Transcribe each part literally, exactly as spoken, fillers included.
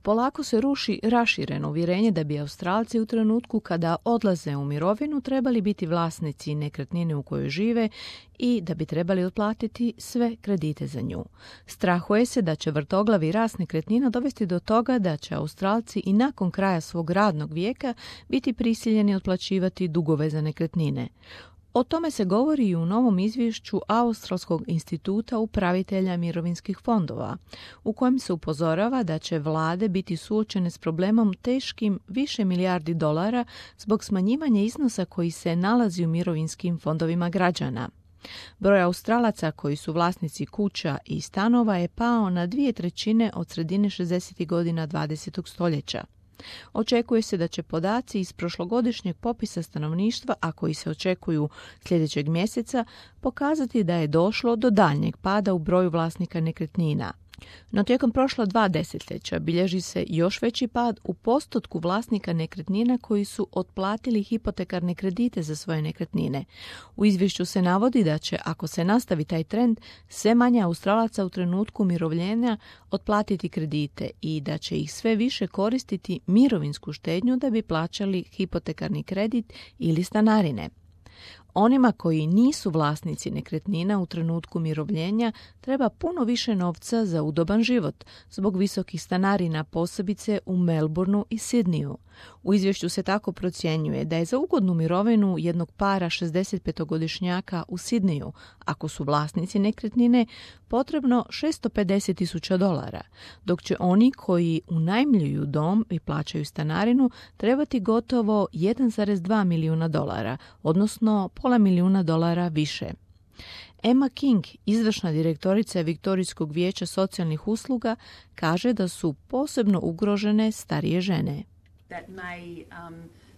Polako se ruši rašireno uvjerenje da bi Australci u trenutku kada odlaze u mirovinu trebali biti vlasnici nekretnine u kojoj žive i da bi trebali otplatiti sve kredite za nju. Strahuje se da će vrtoglavi rast nekretnina dovesti do toga da će Australci i nakon kraja svog radnog vijeka biti prisiljeni otplaćivati dugove za nekretnine. O tome se govori i u novom izvješću Australskog instituta upravitelja mirovinskih fondova, u kojem se upozorava da će vlade biti suočene s problemom teškim više milijardi dolara zbog smanjivanja iznosa koji se nalazi u mirovinskim fondovima građana. Broj Australaca koji su vlasnici kuća i stanova je pao na dvije trećine od sredine šezdesetih godina dvadesetog stoljeća. Očekuje se da će podaci iz prošlogodišnjeg popisa stanovništva, a koji se očekuju sljedećeg mjeseca, pokazati da je došlo do daljnjeg pada u broju vlasnika nekretnina. No tijekom prošla dva desetljeća bilježi se još veći pad u postotku vlasnika nekretnina koji su otplatili hipotekarne kredite za svoje nekretnine. U izvješću se navodi da će, ako se nastavi taj trend, sve manje Australaca u trenutku umirovljenja otplatiti kredite i da će ih sve više koristiti mirovinsku štednju da bi plaćali hipotekarni kredit ili stanarine. Onima koji nisu vlasnici nekretnina u trenutku umirovljenja treba puno više novca za udoban život zbog visokih stanarina, posebice u Melbourneu i Sidneyu. U izvješću se tako procjenjuje da je za ugodnu mirovinu jednog para šezdesetpetogodišnjaka u Sidneyu, ako su vlasnici nekretnine, potrebno šesto pedeset tisuća dolara, dok će oni koji unajmljuju dom i plaćaju stanarinu trebati gotovo jedan zarez dva milijuna dolara, odnosno pola milijuna dolara više. Emma King, izvršna direktorica Viktorijskog vijeća socijalnih usluga, kaže da su posebno ugrožene starije žene. That may um,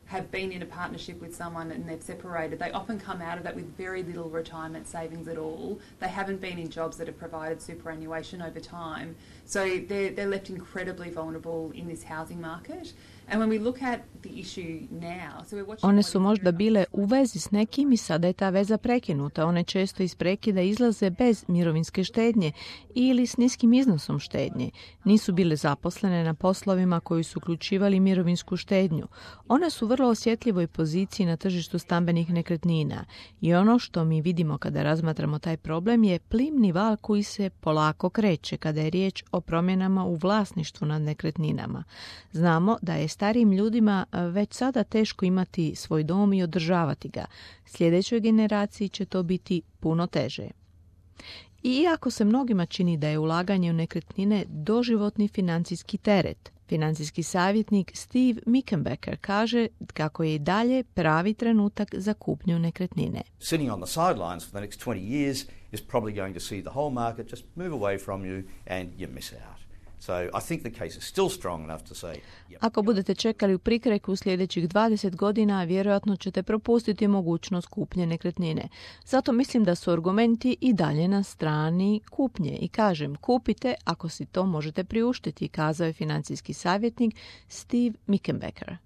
have been in a partnership with someone and they've separated. They often come out of that with very little retirement savings at all. They haven't been in jobs that have provided superannuation over time. So they're, they're left incredibly vulnerable in this housing market. And when we look at the issue now, so we're watching. One su možda bile u vezi s nekim i sada je ta veza prekinuta. One često iz prekida izlaze bez mirovinske štednje ili s niskim iznosom štednje. Nisu bile zaposlene na poslovima koji su uključivali mirovinsku štednju. One su vrlo osjetljivoj poziciji na tržištu stambenih nekretnina i ono što mi vidimo kada razmatramo taj problem je plimni val koji se polako kreće kada je riječ o promjenama u vlasništvu nad nekretninama. Znamo da je starijim ljudima već sada teško imati svoj dom i održavati ga. Sljedećoj generaciji će to biti puno teže. I iako se mnogima čini da je ulaganje u nekretnine doživotni financijski teret, financijski savjetnik Steve Mickenbecker kaže kako je i dalje pravi trenutak za kupnju nekretnine. Sitting on the sidelines for the next twenty years is probably going to see the whole market just move away from you and you miss out. So I think the case is still strong enough to say, yep. Ako budete čekali u prikreku sljedećih dvadeset godina, vjerojatno ćete propustiti mogućnost kupnje nekretnine. Zato mislim da su argumenti i dalje na strani kupnje i kažem kupite ako si to možete priuštiti, kazao je financijski savjetnik Steve Mickenbecker.